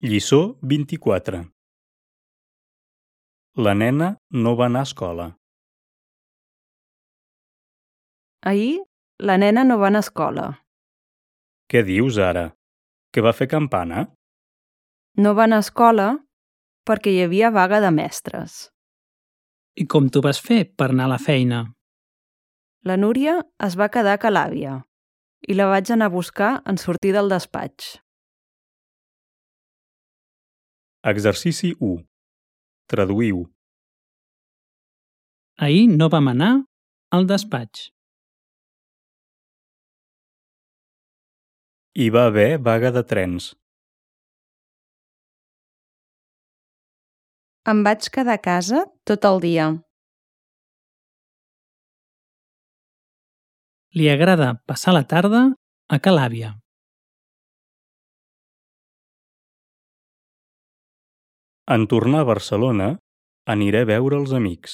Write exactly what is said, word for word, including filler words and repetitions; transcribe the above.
Lliçó vint-i-quatre. La nena no va anar a escola. Ahir la nena no va anar a escola. Què dius ara? Que va fer campana? No va anar a escola perquè hi havia vaga de mestres. I com t'ho vas fer per anar a la feina? La Núria es va quedar a ca l'àvia i la vaig anar a buscar en sortir del despatx. Exercici u. Traduïu. Ahir no vam anar al despatx. Hi va haver vaga de trens. Em vaig quedar a casa tot el dia. Li agrada passar la tarda a ca l'àvia. En tornar a Barcelona, aniré a veure els amics.